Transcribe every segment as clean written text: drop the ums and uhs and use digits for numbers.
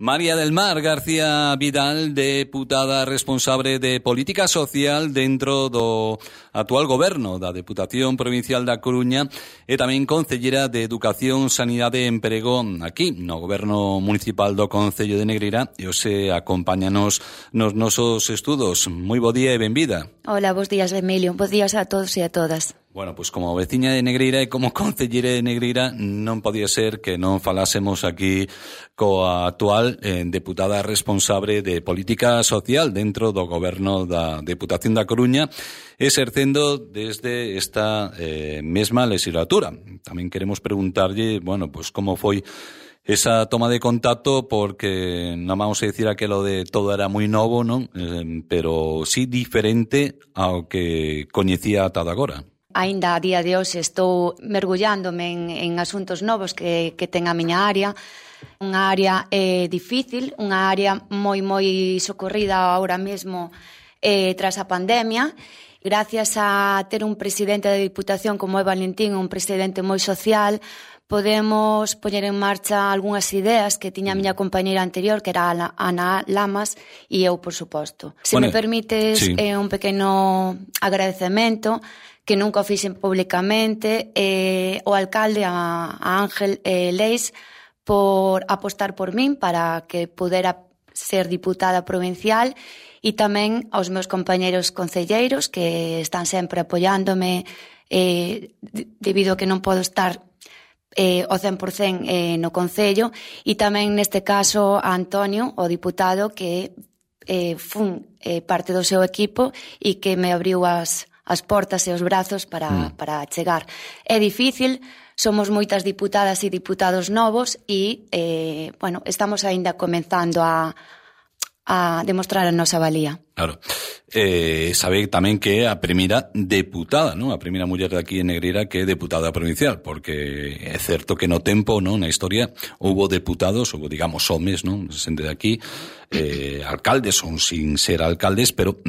María del Mar García Vidal, deputada responsable de Política Social dentro do actual goberno da Deputación Provincial da Coruña e tamén concellera de Educación, Sanidade e Emprego aquí no goberno municipal do Concello de Negreira e hoxe acompáñanos nos nosos estudos. Moi bo día e benvida. Hola, bos días, Emilio. Bos días a todos e a todas. Bueno, pois como veciña de Negreira e como concellera de Negreira non podía ser que non falásemos aquí coa actual deputada responsable de Política Social dentro do goberno da Deputación da Coruña, exercendo desde esta mesma legislatura. Tamén queremos preguntarlle, bueno, pois como foi esa toma de contacto, porque non vamos a decir aquelo de todo era moi novo, non? Pero sí diferente ao que coñecía ata agora. Aínda a día de hoxe estou mergullándome en asuntos novos que ten a miña área. Unha área difícil, unha área moi socorrida ahora mesmo tras a pandemia. Gracias a ter un presidente da Diputación como é Valentín, un presidente moi social, podemos poñer en marcha algunhas ideas que tiña a miña compañeira anterior, que era Ana Lamas, e eu, por suposto. Se me permites, sí, un pequeno agradecemento, que nunca o fixen públicamente, o alcalde, a Ángel Leis, por apostar por min para que pudera ser diputada provincial, e tamén aos meus compañeiros concelleiros que están sempre apoiándome debido a que non podo estar o 100% no Concello, e tamén neste caso a Antonio, o diputado, que fun parte do seu equipo e que me abriu as portas e os brazos para chegar. É difícil, somos moitas diputadas e diputados novos e, bueno, estamos aínda comenzando a demostrar a nosa valía. Claro. Sabe tamén que é a primeira deputada, non? A primeira muller de aquí en Negreira que é deputada provincial, porque é certo que no tempo, non, na historia, houbo deputados, houbo, digamos, homes, non, xente de aquí, alcaldes ou sin ser alcaldes, pero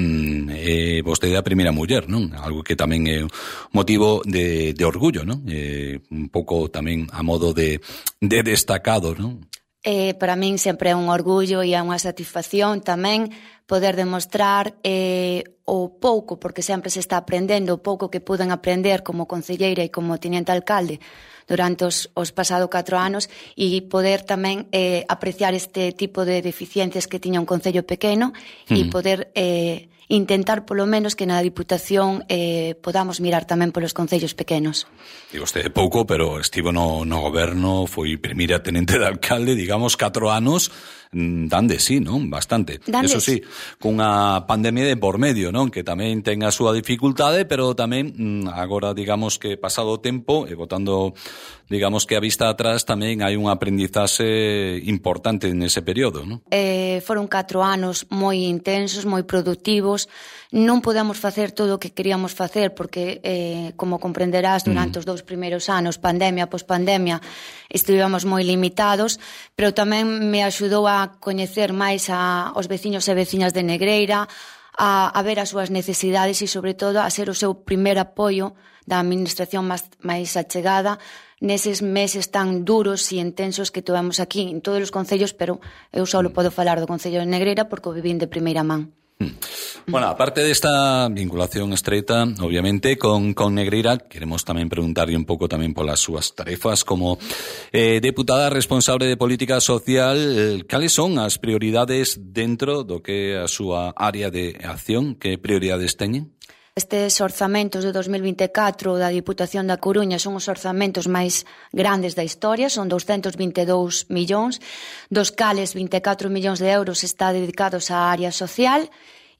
vostede é a primeira muller, non? Algo que tamén é motivo de orgullo, non? Un pouco tamén a modo de destacado, non? Para min sempre é un orgullo e é unha satisfacción tamén poder demostrar o pouco, porque sempre se está aprendendo, o pouco que puden aprender como concelleira e como teniente alcalde durante os pasados 4 anos, e poder tamén apreciar este tipo de deficiencias que tiña un concello pequeno e poder intentar polo menos que na Diputación podamos mirar tamén polos concellos pequenos. Digo, vostede pouco, pero estivo no goberno, foi primeira tenente de alcalde, digamos, 4 anos, dan de sí, non? Bastante. Eso sí, cunha pandemia de por medio, non? Que tamén ten a súa dificultade, pero tamén agora, digamos, que pasado o tempo, e botando, digamos, que a vista atrás, tamén hai un aprendizaxe importante nese período, non? Foron 4 anos moi intensos, moi productivos. Non podemos facer todo o que queríamos facer porque, como comprenderás, durante os 2 primeiros anos, pandemia, pospandemia, estivemos moi limitados, pero tamén me axudou a coñecer máis aos veciños e veciñas de Negreira, a ver as súas necesidades e, sobre todo, a ser o seu primer apoio da administración máis achegada neses meses tan duros e intensos que tivemos aquí en todos os concellos, pero eu só podo falar do Concello de Negreira porque o vivín de primeira man. Bueno, aparte desta vinculación estreita, obviamente, con Negreira, queremos tamén preguntarlle un pouco tamén polas súas tarefas como deputada responsable de Política Social. Cales son as prioridades dentro do que é a súa área de acción? Que prioridades teñen? Estes orzamentos de 2024 da Diputación da Coruña son os orzamentos máis grandes da historia, son 222 millóns, dos cales 24 millóns de euros está dedicados á área social,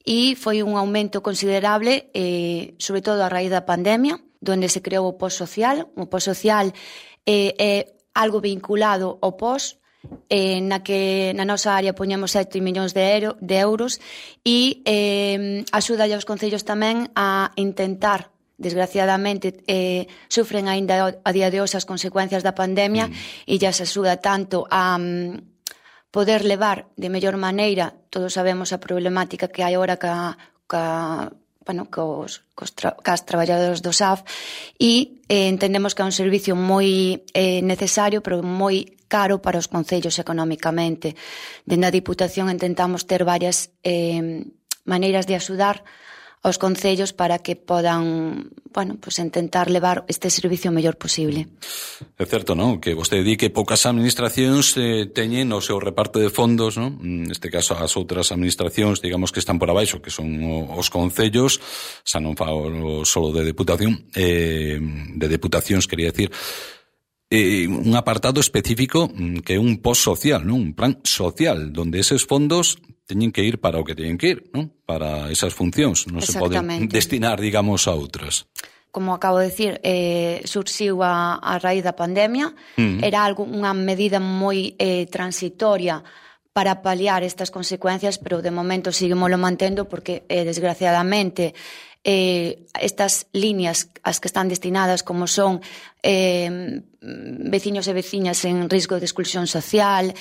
e foi un aumento considerable, sobre todo a raíz da pandemia, onde se creou o POS social. O POS social é algo vinculado ao POS, na que na nosa área poñemos 7 millóns de euros e axuda aos concellos tamén a intentar, desgraciadamente sufren aínda a día de hoxe as consecuencias da pandemia, e xa se axuda tanto a poder levar de mellor maneira. Todos sabemos a problemática que hai agora ca cas traballadores do SAF e entendemos que é un servicio moi necesario, pero moi caro para os concellos económicamente. Dende a Diputación intentamos ter varias maneiras de axudar aos concellos para que podan, intentar levar este servicio o mellor posible. É certo, non? Que vostede di que poucas administracións teñen o seu reparto de fondos, non? Neste caso, as outras administracións, digamos, que están por abaixo, que son os concellos, xa non falo solo de deputación, de deputacións, quería decir, un apartado específico que é un post social, non? Un plan social, donde eses fondos teñen que ir para o que teñen que ir, non? Para esas funcións, non se poden destinar, digamos, a outras. Como acabo de decir, surxiu a raíz da pandemia, era unha medida moi transitoria para paliar estas consecuencias, pero de momento seguimoslo mantendo porque, desgraciadamente, estas líneas as que están destinadas como son veciños e veciñas en risco de exclusión social,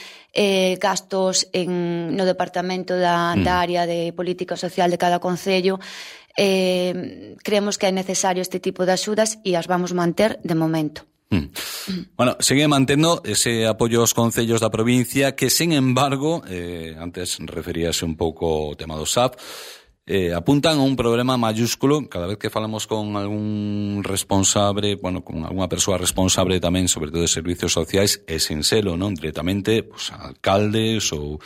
gastos no departamento da área de política social de cada concello, creemos que é necesario este tipo de axudas e as vamos manter de momento. Bueno, segue mantendo ese apoio aos concellos da provincia que, sen embargo, antes referíase un pouco ao tema do SAF, apuntan a un problema mayúsculo cada vez que falamos con algún responsable, con alguna persoa responsable tamén, sobre todo de servicios sociais, e sen selo, non? Directamente, alcaldes ou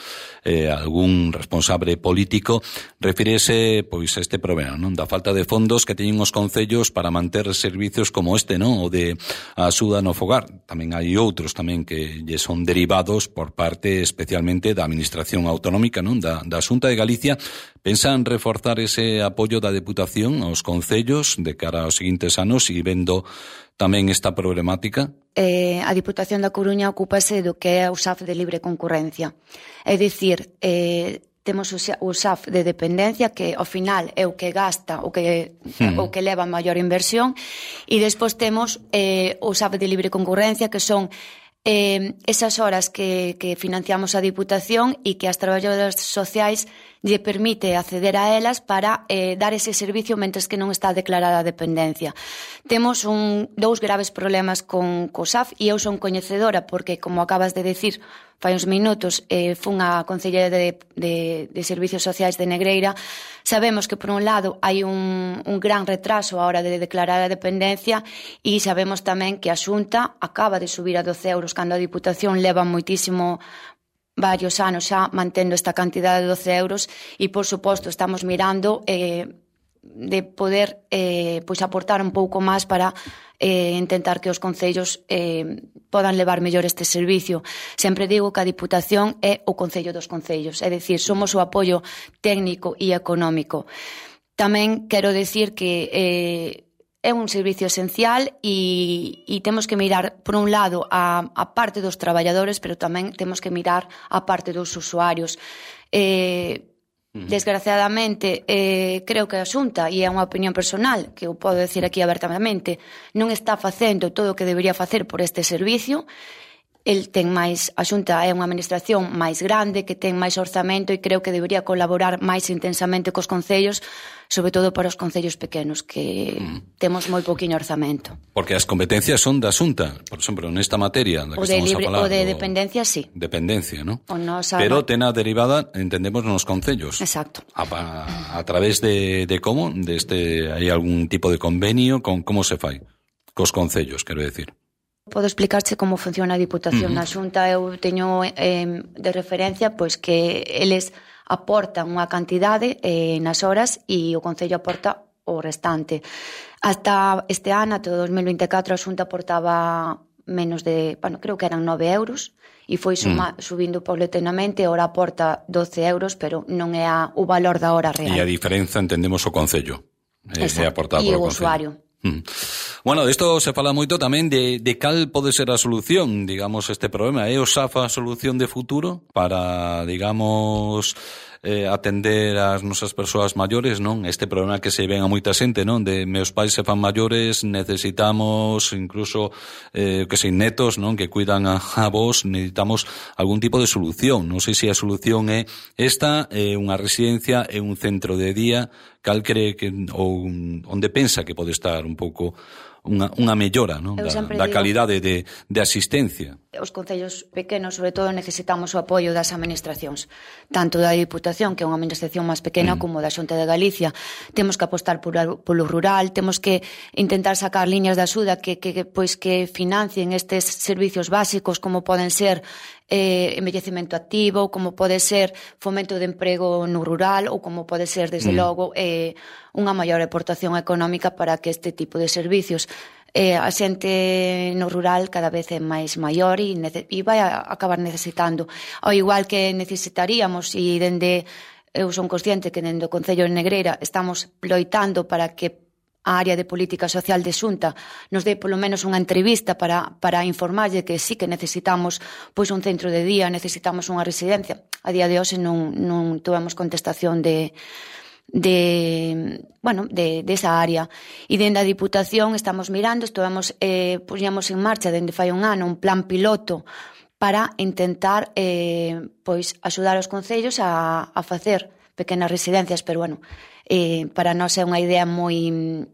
algún responsable político, refírese a este problema, non? Da falta de fondos que teñen os concellos para manter servicios como este, non? O de axuda no fogar. Tamén hai outros tamén que lle son derivados por parte especialmente da Administración Autonómica, non? Da Xunta de Galicia. Pensan reforzar ese apoio da Deputación aos concellos de cara aos seguintes anos e vendo tamén esta problemática? A Diputación da Coruña ocúpase do que é o SAF de libre concurrencia. É dicir, temos o SAF de dependencia que ao final é o que gasta, o que leva maior inversión, e despois temos o SAF de libre concurrencia, que son esas horas que financiamos a Diputación e que as traballadoras sociais lle permite acceder a elas para dar ese servicio mentres que non está declarada a dependencia. Temos dous graves problemas con o SAF e eu son coñecedora porque, como acabas de decir fai uns minutos, fun a Concelleira de Servicios Sociais de Negreira. Sabemos que, por un lado, hai un gran retraso a hora de declarar a dependencia e sabemos tamén que a Xunta acaba de subir a 12 euros cando a Diputación leva varios anos xa mantendo esta cantidad de 12 euros e, por suposto, estamos mirando de poder aportar un pouco máis para intentar que os concellos podan levar mellor este servicio. Sempre digo que a Diputación é o concello dos concellos, é dicir, somos o apoio técnico e económico. Tamén quero decir que é un servicio esencial e temos que mirar, por un lado, a parte dos traballadores, pero tamén temos que mirar a parte dos usuarios. Desgraciadamente, creo que a Xunta, e é unha opinión personal, que eu podo decir aquí abertamente, non está facendo todo o que debería facer por este servicio. A Xunta é unha administración máis grande, que ten máis orzamento e creo que debería colaborar máis intensamente cos concellos, sobre todo para os concellos pequenos, que temos moi pouquiño orzamento. Porque as competencias son da Xunta, por exemplo, nesta materia da que estamos a falar. O de dependencia, sí. Dependencia, ¿no? Pero ten a derivada, entendemos, nos concellos. Exacto. A través de como? Hai algún tipo de convenio? Como se fai? Cos concellos, quero decir. Podo explicarche como funciona a Diputación na Xunta. Eu teño de referencia pois que eles aportan unha cantidade nas horas e o Concello aporta o restante. Hasta este ano, até 2024, a Xunta aportaba menos de, creo que eran 9 euros e foi subindo paulatinamente. Ora aporta 12 euros, pero non é o valor da hora real. E a diferenza entendemos o Concello. É aportado polo Concello. E o usuario. Bueno, disto se fala moito tamén de cal pode ser a solución, digamos, este problema. É o SAF a solución de futuro para, digamos, atender as nosas persoas maiores, non? Este problema que se ven a moita xente, non? De meus pais se fan maiores, necesitamos incluso que sei, netos, non? Que cuidan a vos, necesitamos algún tipo de solución. Non sei se a solución é esta, unha residencia, é un centro de día, cal cree que ou onde pensa que pode estar un pouco unha mellora, non? Da calidade de asistencia. Os concellos pequenos, sobre todo, necesitamos o apoio das administracións, tanto da Diputación, que é unha administración máis pequena, como da Xunta de Galicia. Temos que apostar polo rural, temos que intentar sacar liñas de axuda que financien estes servicios básicos, como poden ser envellecemento activo, como pode ser fomento de emprego no rural, ou como pode ser, desde logo, unha maior aportación económica para que este tipo de servicios. A xente no rural cada vez é máis maior e vai a acabar necesitando. Ao igual que necesitaríamos, e eu son consciente que dende o Concello de Negreira estamos loitando para que a área de política social de Xunta nos dé polo menos unha entrevista para informarlle que sí que necesitamos pois un centro de día, necesitamos unha residencia. A día de hoxe non tivemos contestación de esa área. E dende a Diputación estamos mirando, puxemos en marcha dende fai un ano un plan piloto para intentar axudar os concellos a facer pequenas residencias, pero para nós é unha idea moi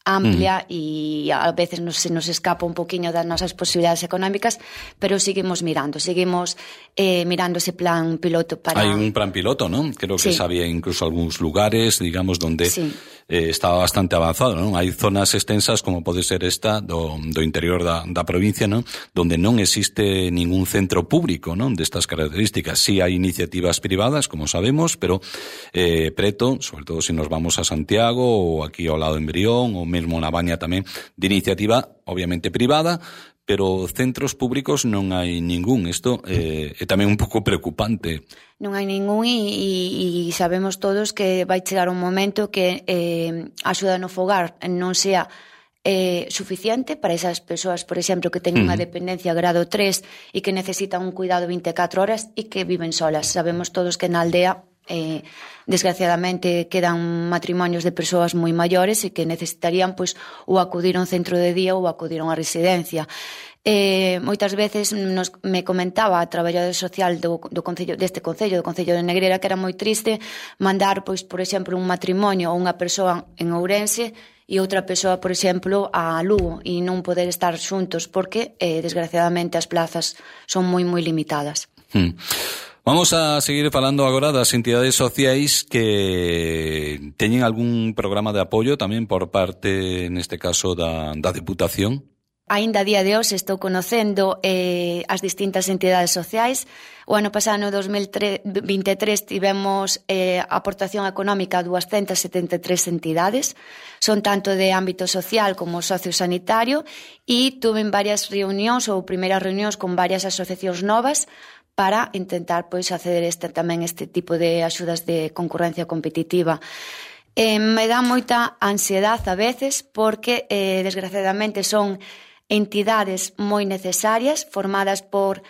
amplia e a veces se nos escapa un poquinho das nosas posibilidades económicas, pero seguimos mirando ese plan piloto para... Hai un plan piloto, non? Creo que sabía incluso algúns lugares, digamos, donde estaba bastante avanzado, non? Hai zonas extensas como pode ser esta do interior da provincia, non? Donde non existe ningún centro público, non? Destas características. Sí hai iniciativas privadas, como sabemos, pero preto, sobre todo se nos vamos a Santiago ou aquí ao lado en Brión ou mesmo na Baña tamén, de iniciativa obviamente privada, pero centros públicos non hai ningún. Isto é tamén un pouco preocupante. Non hai ningún e sabemos todos que vai chegar un momento que a axuda no fogar non sea suficiente para esas persoas, por exemplo, que teñen unha dependencia grado 3 e que necesitan un cuidado 24 horas e que viven solas. Sabemos todos que na aldea desgraciadamente quedan matrimonios de persoas moi maiores e que necesitarían ou acudir a un centro de día ou acudir a unha residencia. Moitas veces me comentaba a traballadora social deste concello, do Concello de Negreira, que era moi triste mandar, por exemplo, un matrimonio ou unha persoa en Ourense e outra persoa, por exemplo, a Lugo, e non poder estar xuntos porque desgraciadamente as plazas son moi limitadas. Vamos a seguir falando agora das entidades sociais que teñen algún programa de apoio tamén por parte, neste caso, da Diputación. Aínda a día de hoxe estou conocendo as distintas entidades sociais. O ano pasado, no 2023, tivemos aportación económica a 273 entidades. Son tanto de ámbito social como sociosanitario e tuve varias reunións ou primeiras reunións con varias asociacións novas para intentar acceder tamén este tipo de axudas de concurrencia competitiva. Me dá moita ansiedade a veces porque desgraciadamente son entidades moi necesarias formadas por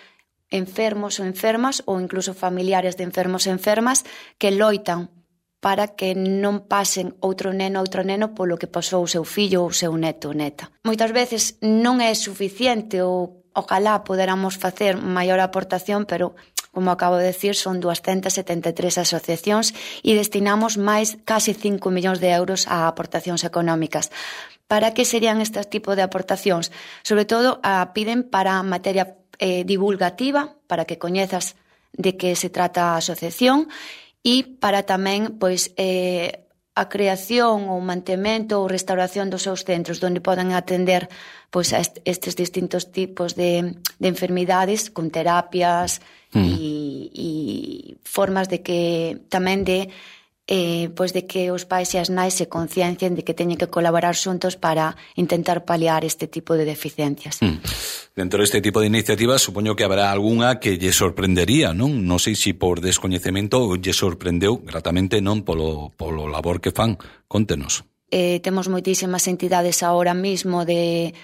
enfermos ou enfermas ou incluso familiares de enfermos e enfermas que loitan para que non pasen outro neno polo que pasou o seu fillo ou o seu neto ou neta. Moitas veces non é suficiente ou ojalá poderamos facer maior aportación, pero, como acabo de decir, son 273 asociacións e destinamos casi 5 millóns de euros a aportacións económicas. Para que serían estes tipos de aportacións? Sobre todo, piden para materia divulgativa, para que coñezas de que se trata a asociación, e para tamén, a creación ou mantemento ou restauración dos seus centros onde poden atender a estes distintos tipos de enfermidades con terapias e formas de que tamén de que os pais e as nais se conciencien de que teñen que colaborar xuntos para intentar paliar este tipo de deficiencias. Dentro deste tipo de iniciativas, supoño que habrá algunha que lle sorprendería, non? Non sei se por descoñecemento lle sorprendeu gratamente, non polo labor que fan. Contenos. temos moitísimas entidades ahora mismo de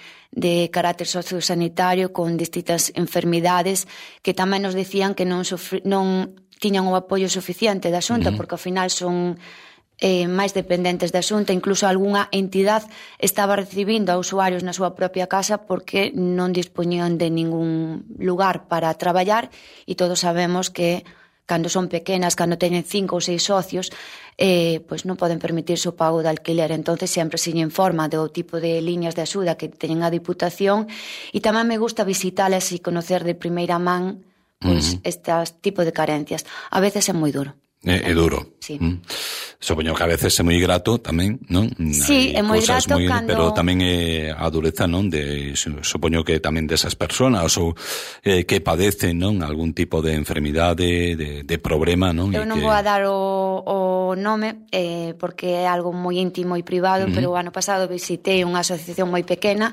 carácter sociosanitario con distintas enfermidades que tamén nos decían que non tiñan o apoio suficiente da Xunta, porque ao final son máis dependentes da Xunta. Incluso algunha entidade estaba recibindo a usuarios na súa propia casa porque non dispoñían de ningún lugar para traballar, e todos sabemos que cando son pequenas, cando teñen 5 ou 6 socios, pois non poden permitirse o pago de alquiler. Entonces sempre se informa do tipo de liñas de axuda que teñen a Diputación, e tamén me gusta visitalas e conocer de primeira man pois este tipo de carencias. A veces é moi duro. É duro. Sí. Supoño que a veces é moi grato tamén, non? Sí, é moi grato cando... Pero tamén é a dureza, non? Supoño que tamén desas persoas ou que padecen, non? Algún tipo de enfermidade, de problema, non? Eu non vou a dar o nome porque é algo moi íntimo e privado, pero o ano pasado visitei unha asociación moi pequena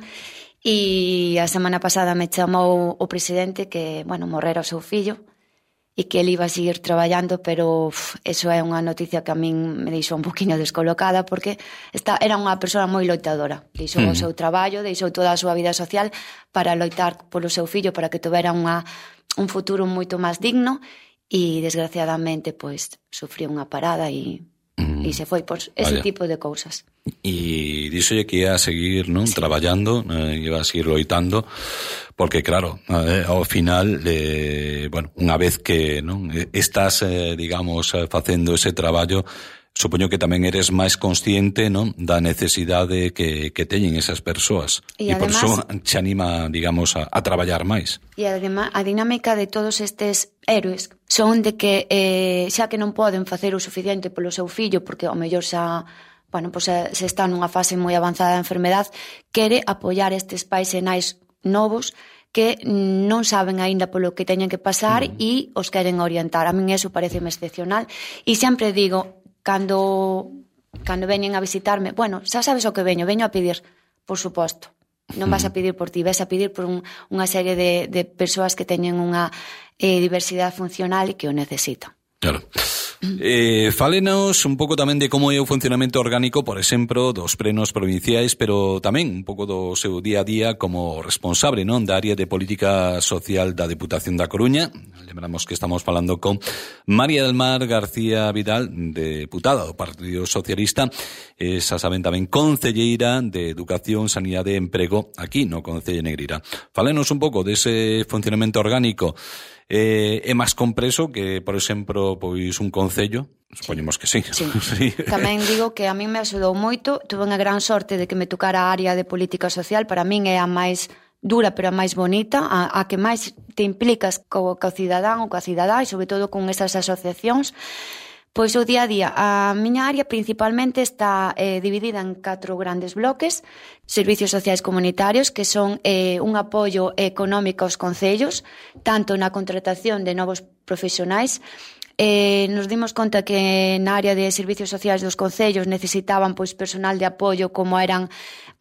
e a semana pasada me chamou o presidente que, morrera o seu fillo, e que ele iba a seguir traballando, pero eso é unha noticia que a min me deixou un poquinho descolocada, porque era unha persoa moi loitadora. Deixou o seu traballo, deixou toda a súa vida social para loitar polo seu fillo, para que tivera un futuro moito máis digno, e desgraciadamente pois sufriu unha parada e se foi por ese tipo de cousas. E díxolle que ia a seguir, non? Sí. Traballando, iba a seguir loitando, porque claro, ao final, unha vez que non estás, digamos, facendo ese traballo, supoño que tamén eres máis consciente, non, da necesidade que teñen esas persoas. E por iso te anima, digamos, a traballar máis. E además, a dinámica de todos estes héroes son de que xa que non poden facer o suficiente polo seu fillo, porque ao mellor xa se está nunha fase moi avanzada da enfermedade, quere apoiar estes pais e nais novos que non saben aínda polo que teñen que pasar e os queren orientar. A min eso pareceme excepcional, e sempre digo, cando veñen a visitarme, xa sabes o que veño a pedir, por suposto. Non vas a pedir por ti, vas a pedir por unha serie de persoas que teñen unha diversidade funcional e que o necesitan. Claro. Fálenos un pouco tamén de como é o funcionamento orgánico, por exemplo, dos plenos provinciais, pero tamén un pouco do seu día a día como responsable, non, da área de política social da Deputación da Coruña. Lembramos que estamos falando con María del Mar García Vidal, deputada do Partido Socialista, esa saben tamén concelleira de Educación, Sanidade e Emprego aquí no Concello de Negreira. Fálenos un pouco dese funcionamento orgánico. É máis compreso que, por exemplo, pois un concello? Supoñemos que sí. Sí. Tamén digo que a mí me axudou moito, tuve unha gran sorte de que me tocara a área de política social, para min é a máis dura, pero a máis bonita, a que máis te implicas co cidadán ou coa cidadá, e sobre todo con esas asociacións. Pois o día a día, a miña área principalmente está dividida en 4 grandes bloques: servicios sociais comunitarios, que son un apoio económico aos concellos, tanto na contratación de novos profesionais. Nos dimos conta que na área de servicios sociais dos concellos necesitaban pois personal de apoio, como eran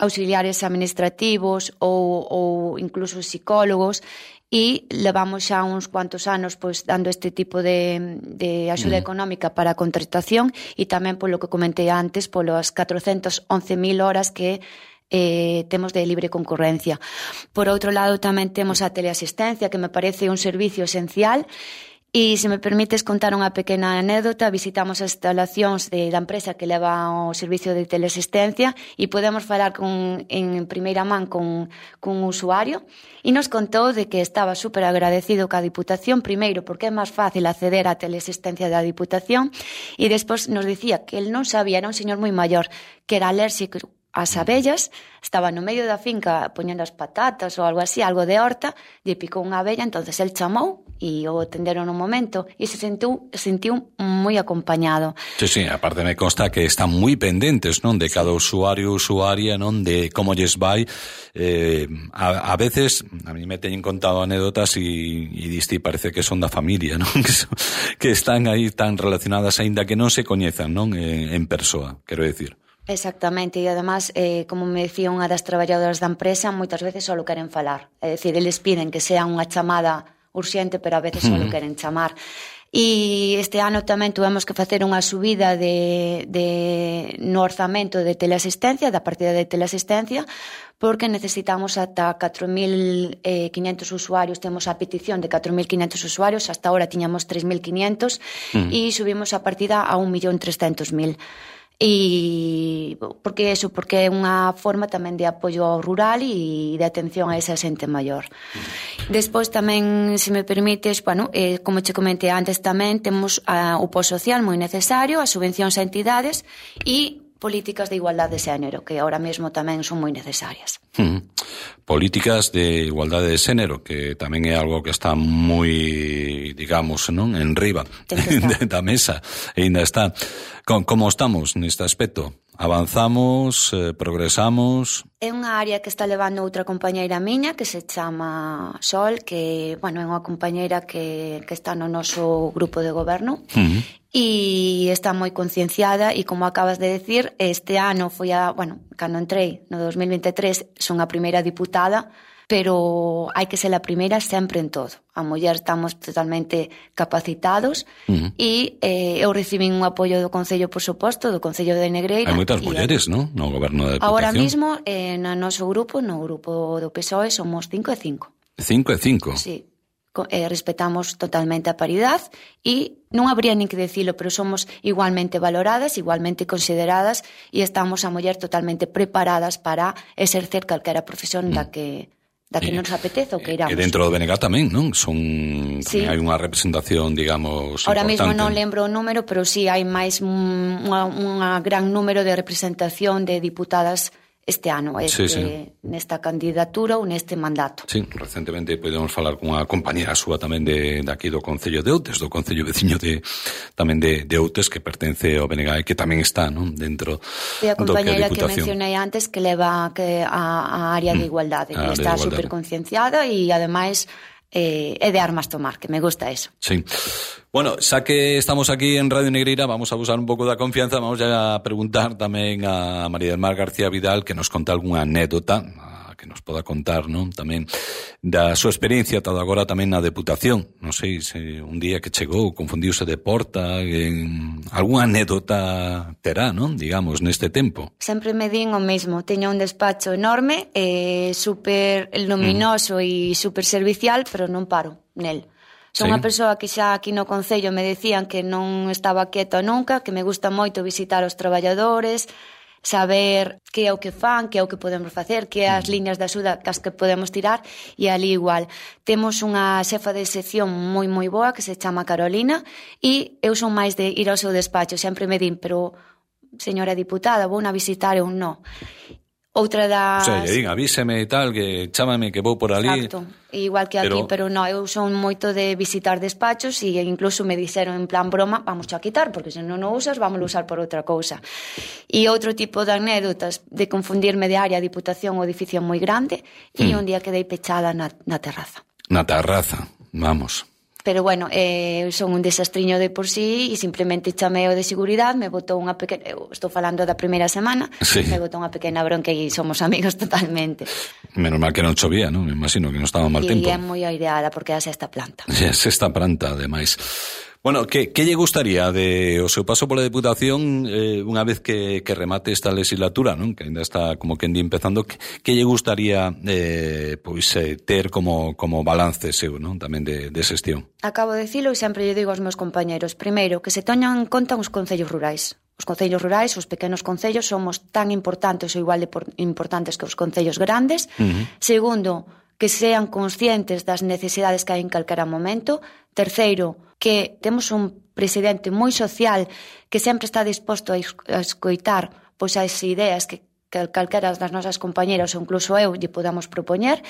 auxiliares administrativos ou incluso psicólogos, e levamos xa uns cuantos anos pois dando este tipo de axuda económica para a contratación, e tamén polo que comentei antes, polas 411.000 horas que temos de libre concurrencia. Por outro lado, tamén temos a teleasistencia, que me parece un servicio esencial. E se me permites contar unha pequena anécdota, visitamos as instalacións da empresa que leva o servicio de teleasistencia e podemos falar en primeira man con un usuario, e nos contou de que estaba super agradecido ca Diputación, primeiro porque é máis fácil acceder á teleasistencia da Diputación, e despois nos dicía que el non sabía, era un señor moi maior, que era alérxico ás abellas, estaba no medio da finca poñendo as patatas ou algo así, algo de horta, lle picou unha abella, entonces el chamou e o atenderon no momento e se sentiu moi acompañado. Sí, aparte me consta que están moi pendentes, non, de cada usuario, usuaria, non, de como lles vai. A veces a mí me teñen contado anécdotas e diste, parece que son da familia, non, que están aí tan relacionadas aínda que non se coñezan, non, en persoa, quero decir. Exactamente, e además, como me decía unha das traballadoras da empresa, moitas veces só queren falar. É dicir, eles piden que sea unha chamada urxente, pero a veces só queren chamar. E este ano tamén tuvemos que facer unha subida no orzamento de teleasistencia, da partida de teleasistencia, porque necesitamos ata 4.500 usuarios, temos a petición de 4.500 usuarios, hasta ahora tiñamos 3.500 e subimos a partida a 1.300.000. E porque é unha forma tamén de apoio ao rural e de atención a esa xente maior. Despois tamén, se me permites, como che comentei antes tamén, temos o post-social moi necesario, as subvencións a entidades e políticas de igualdade de xénero, que ahora mesmo tamén son moi necesarias. Políticas de igualdade de xénero, que tamén é algo que está moi, digamos, non, en riba da mesa, e ainda está. Como estamos neste aspecto? Avanzamos, progresamos? É unha área que está levando outra compañeira miña que se chama Sol, que, é unha compañeira que está no noso grupo de goberno e está moi concienciada e, como acabas de decir, este ano foi cando entrei no 2023 son a primeira diputada, pero hai que ser a primeira sempre en todo. A muller estamos totalmente capacitados e eu recibín un apoio do Concello, por suposto, do Concello de Negreira. Hai moitas mulleres, non? No goberno da Deputación. Ahora mismo, no noso grupo, no grupo do PSOE, somos 5 e 5. 5 e 5? Sí. Respetamos totalmente a paridade e non habría nin que dicilo, pero somos igualmente valoradas, igualmente consideradas e estamos a muller totalmente preparadas para exercer calquera profesión da que nos apetece ou que iramos. E dentro do BNG tamén, non? Tamén hai unha representación, digamos, ahora importante. Ahora mesmo non lembro o número, pero sí hai máis un gran número de representación de diputadas este ano, nesta candidatura ou neste mandato. Sí, recentemente podemos falar cunha compañera súa tamén de aquí do Concello de Outes, do Concello veciño tamén de Outes, que pertence ao BNG e que tamén está, non, dentro e a compañera que mencionei antes que leva a área de igualdade, que está super concienciada e ademais é de armas tomar, que me gusta eso. Sí. Bueno, xa que estamos aquí en Radio Negreira, vamos a usar un pouco da confianza, vamos a preguntar tamén a María del Mar García Vidal que nos conta algunha anécdota, que nos poda contar, non? Tamén da súa experiencia ata agora tamén na Deputación. Non sei se un día que chegou confundiuse de porta, algunha anécdota terá, non? Digamos, neste tempo. Sempre me din o mesmo. Teño un despacho enorme, super luminoso e super servicial, pero non paro nel. Son unha persoa que xa aquí no Concello me decían que non estaba quieta nunca, que me gusta moito visitar os traballadores, saber que é o que fan, que é o que podemos facer, que é as liñas de axuda cas que podemos tirar, e ali igual. Temos unha xefa de sección moi moi boa que se chama Carolina e eu son máis de ir ao seu despacho, sempre me din, pero señora diputada, vou na visitar ou non. Outra das... O sea, lle din, avíseme e tal, que chámame que vou por ali. Exacto, igual que aquí, pero non, eu son moito de visitar despachos e incluso me dixeron en plan broma, vamos a quitar, porque se non o usas, vamos a usar por outra cousa. E outro tipo de anécdotas de confundirme de área, diputación ou edificio moi grande, e un día quedei pechada na terraza. Na terraza, vamos. Pero bueno, son un desastriño de por sí e simplemente chamei o de seguridade, me botou unha pequena... Eu estou falando da primeira semana, me botou unha pequena bronca e somos amigos totalmente. Menos mal que non chovía, non? Me imagino que non estaba mal tempo. E é moi aireada porque é a sexta planta. É a sexta planta, ademais. Bueno, que lle gustaría de o seu paso pola Deputación unha vez que remate esta legislatura, non? Que ainda está como que empezando, que lle gustaría ter como balance seu, non? Tamén de xestión. Acabo de dicilo e sempre lle digo aos meus compañeros. Primeiro, que se toñan en conta os concellos rurais. Os concellos rurais, os pequenos concellos, somos tan importantes ou igual de importantes que os concellos grandes. Segundo, que sean conscientes das necesidades que hai en calquera momento. Terceiro, que temos un presidente moi social que sempre está disposto a escoitar pois as ideas que calquera das nosas compañeras ou incluso eu lle podamos propoñer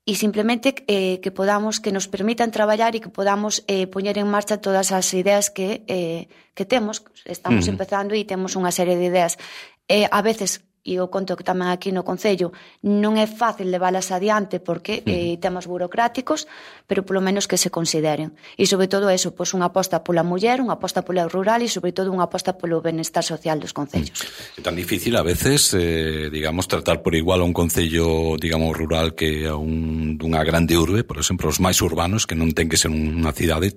e simplemente que podamos, que nos permitan traballar e que podamos poñer en marcha todas as ideas que temos. Estamos empezando e temos unha serie de ideas a veces e o conto que tamén aquí no Concello, non é fácil leválas adiante porque temas burocráticos, pero polo menos que se consideren. E sobre todo eso, pois unha aposta pola muller, unha aposta pola rural e sobre todo unha aposta polo benestar social dos concellos. É tan difícil a veces, digamos, tratar por igual a un concello, digamos, rural que a dunha grande urbe, por exemplo, os máis urbanos, que non ten que ser unha cidade,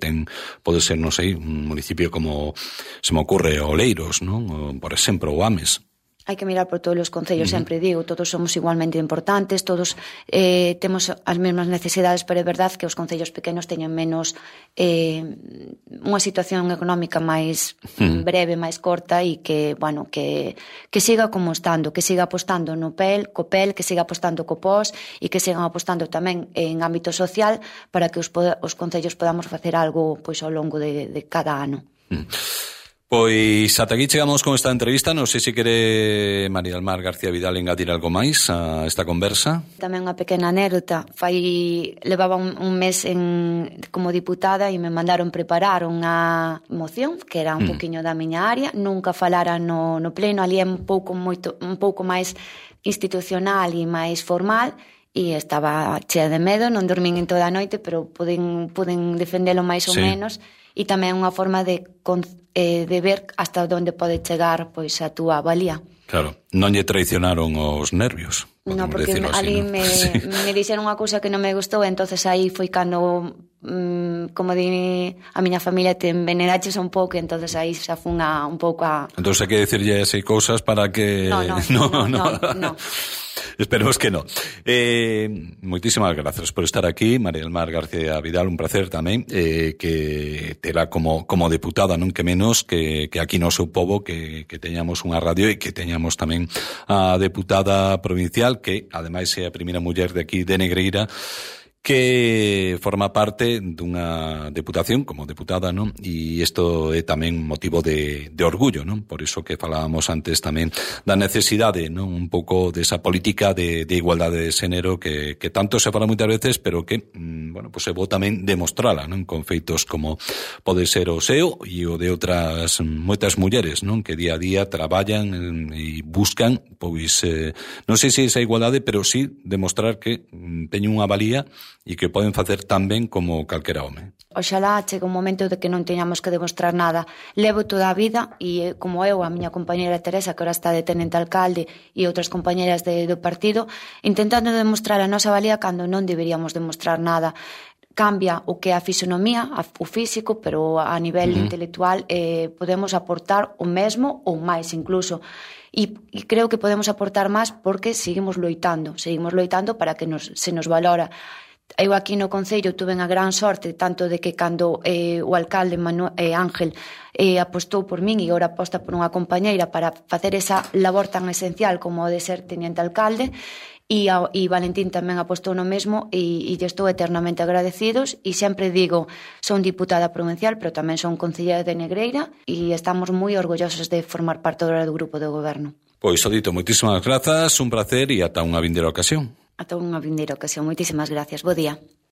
pode ser, non sei, un municipio como se me ocurre Oleiros, non? Por exemplo, o Ames. Hai que mirar por todos os concellos, sempre digo, todos somos igualmente importantes, todos temos as mesmas necesidades, pero é verdade que os concellos pequenos teñen menos unha situación económica máis breve, máis corta e que, bueno, que siga como estando, que siga apostando no PEL, que siga apostando co POS e que sigan apostando tamén en ámbito social para que os concellos podamos facer algo pois ao longo de cada ano. Pois ata aquí chegamos con esta entrevista. Non sei se quere María del Mar García Vidal engadir algo máis a esta conversa. Tamén unha pequena anécdota. Levaba un mes como diputada e me mandaron preparar unha moción que era un poquinho da miña área. Nunca falara no pleno, ali é un pouco máis institucional e máis formal, e estaba chea de medo, non dormín en toda a noite, pero puden defendelo máis ou menos, e tamén unha forma de ver hasta onde pode chegar pois a túa valía. Claro, non lle traicionaron os nervios. Non, porque ali me dixeron unha cousa que non me gustou, entonces aí foi cando, como di a miña familia, te envenenaches un pouco, entonces aí xa fun un pouco a... Entonces hai que decirlle así cousas para que... No. Esperemos que no. Moitísimas grazas por estar aquí, María del Mar García Vidal, un placer tamén, que terá como deputada, non que menos, que aquí no seu pobo, que teñamos unha radio e que teñamos tamén a deputada provincial, que ademais é a primeira muller de aquí de Negreira, que forma parte dunha deputación como deputada, non? E isto é tamén motivo de orgullo, non? Por iso que falábamos antes tamén da necesidade, non? Un pouco desa política de igualdade de xénero que tanto se fala moitas veces, pero que, bueno, pues é bo tamén demostrala, non? Con feitos como pode ser o seu e o de outras moitas mulleres, non? Que día a día traballan e buscan, pois, non sei se esa igualdade, pero sí demostrar que teñen unha valía e que poden facer tan ben como calquera home. Oxalá chega un momento de que non teñamos que demostrar nada. Levo toda a vida, e como eu, a miña compañera Teresa, que ahora está de tenente alcalde, e outras compañeras do partido, intentando demostrar a nosa valía cando non deberíamos demostrar nada. Cambia o que é a fisonomía, o físico, pero a nivel intelectual podemos aportar o mesmo ou máis incluso. E creo que podemos aportar máis porque seguimos loitando para que se nos valora. Eu aquí no Concello tuve a gran sorte tanto de que cando o alcalde Ángel apostou por min e agora aposta por unha compañeira para facer esa labor tan esencial como o de ser teniente alcalde, e Valentín tamén apostou no mesmo, e estou eternamente agradecidos, e sempre digo, son diputada provincial pero tamén son concellera de Negreira e estamos moi orgullosos de formar parte do grupo de goberno. Pois o dito, moitísimas grazas, un placer e ata unha vindeira ocasión. Ata unha vindeira ocasión. Moitísimas gracias. Bo día.